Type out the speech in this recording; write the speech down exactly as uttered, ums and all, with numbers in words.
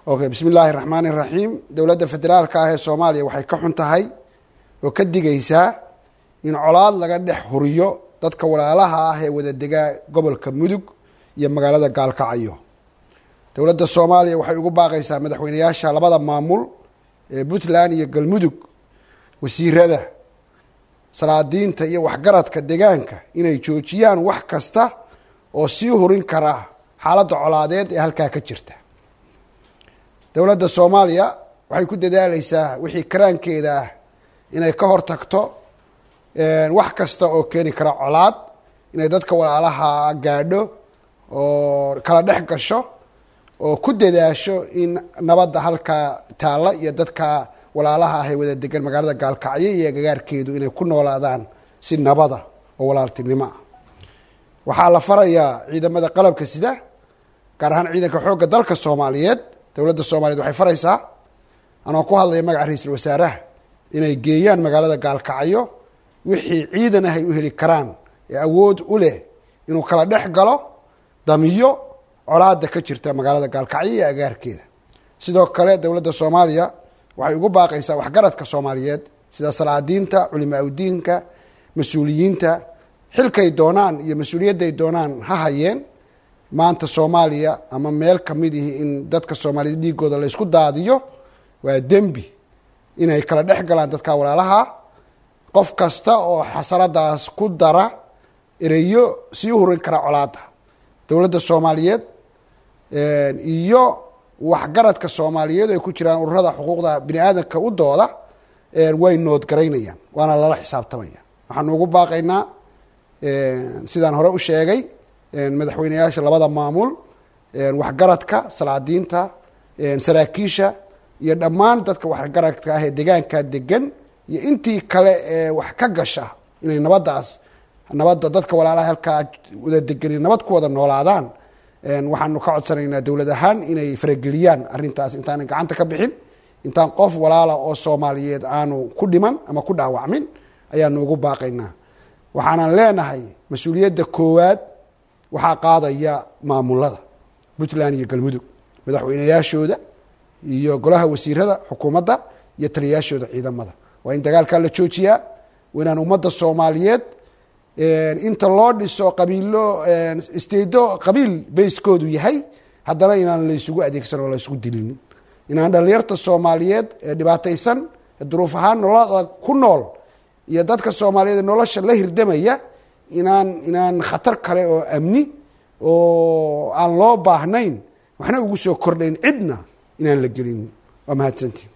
Okay, bismi illaahi raxmaani raxiim. Dowladda federaalka ah ee Soomaaliya waxay ka xun tahay oo ka digaysaa in colaad laga dhex huriyo dadka walaalaha ah ee wada degaa gobolka Mudug iyo magaalada Gaalkacyo. Dowladda Soomaaliya waxay ugu baaqaysaa madaxweyneyaasha labada maamul ee Puntland iyo Galmudug, wasiirada, salaadiinta iyo waxgaradka deegaanka inay joojiyaan wax kasta oo sii hurin kara xaaladda colaadeed ee halkaa ka jirta. Dowladda Soomaaliya waxay ku dadaalaysaa wixii karaankeeda ah inay ka hortagto wax kasta oo keeni kara colaad, inay dadka walaalaha gaadho oo kala dhex gasho oo ku dadaasho in nabadda halkaa taalla iyo dadka walaalaha ah ee wada degan magaalada Gaalkacyo iyo agagaarkeedu inay ku noolaadaan si nabada oo walaaltinimo ah. Waxaa la farayaa ciidamada qalabka sida, gaar ahaan ciidanka xoogga dalka Soomaaliyeed. Dowladda Soomaaliyeed waxay faraysaa, anoo ku hadlaya magaca ra-iisul wasaaraha, inay geeyaan magaalada Gaalkacyo wixii ciidan ah ay u heli karaan ee awood u leh inuu kala dhex galo, damiyo colaadda ka jirta magaalada Gaalkacyo iyo agaarkeeda. Sidoo kale dowladda Soomaaliya waxay ugu baaqaysaa waxgaradka Soomaaliyeed sida salaadiinta, culimaa udiinka, mas-uuliyiinta, xilkay doonaan iyo mas-uuliyadday doonaan ha hayeen, maanta Soomaaliya ama meel kamid ihi in dadka Soomaaliyeed dhiigooda la isku daadiyo waa dembi, inay kala dhex galaan dadka walaalaha. Qof kasta oo xasaradaas ku dara ereyo sii hurin kara colaadda, dowladda Soomaaliyeed iyo waxgaradka Soomaaliyeed ay ku jiraan ururada xuquuqda bini aadamka u dooda way noodgaraynayaan, waana lala xisaabtamaya. Waxaanu ugu baaqaynaa, sidaan hore u sheegay, madaxweyneyaasha labada maamul, waxgaradka, salaadiinta, saraakiisha iyo dhammaan dadka waxgaradka ah ee deegaanka degan iyo intii kale ee wax ka gasha inay nabaddaas, nabadda dadka walaalaha halkaa wada degani nabad ku wada noolaadaan. Waxaanu ka codsanaynaa dowlad ahaan inay farageliyaan arrintaas intaanay gacanta ka bixin, intaan qof walaala oo Soomaaliyeed aanu ku dhiman ama ku dhaawacmin ayaanu ugu baaqaynaa. Waxaanan leenahay mas-uuliyadda koowaad waxaa qaadaya maamulada Puntland iyo Galmudug, madaxweyneyaashooda iyo golaha wasiirada xukuumadda iyo taliyayaashooda ciidamada. Waa in dagaalkaa la joojiyaa, waa inaan ummadda Soomaaliyeed inta loo dhiso qabiilo isteedo qabiil bayskoodu yahay haddana inaan laysugu adeegsan oo laysugu dilinin, inaan dhalinyarta Soomaaliyeed ee dhibaataysan ee duruuf ahaan nolol ku nool iyo dadka Soomaaliyeed ee nolosha la hirdamaya inaan inaan khatar kale oo amni oo aan loo baahnayn waxna ugu soo kordhayn cidna inaan la gelinin. Waa mahadsantiin.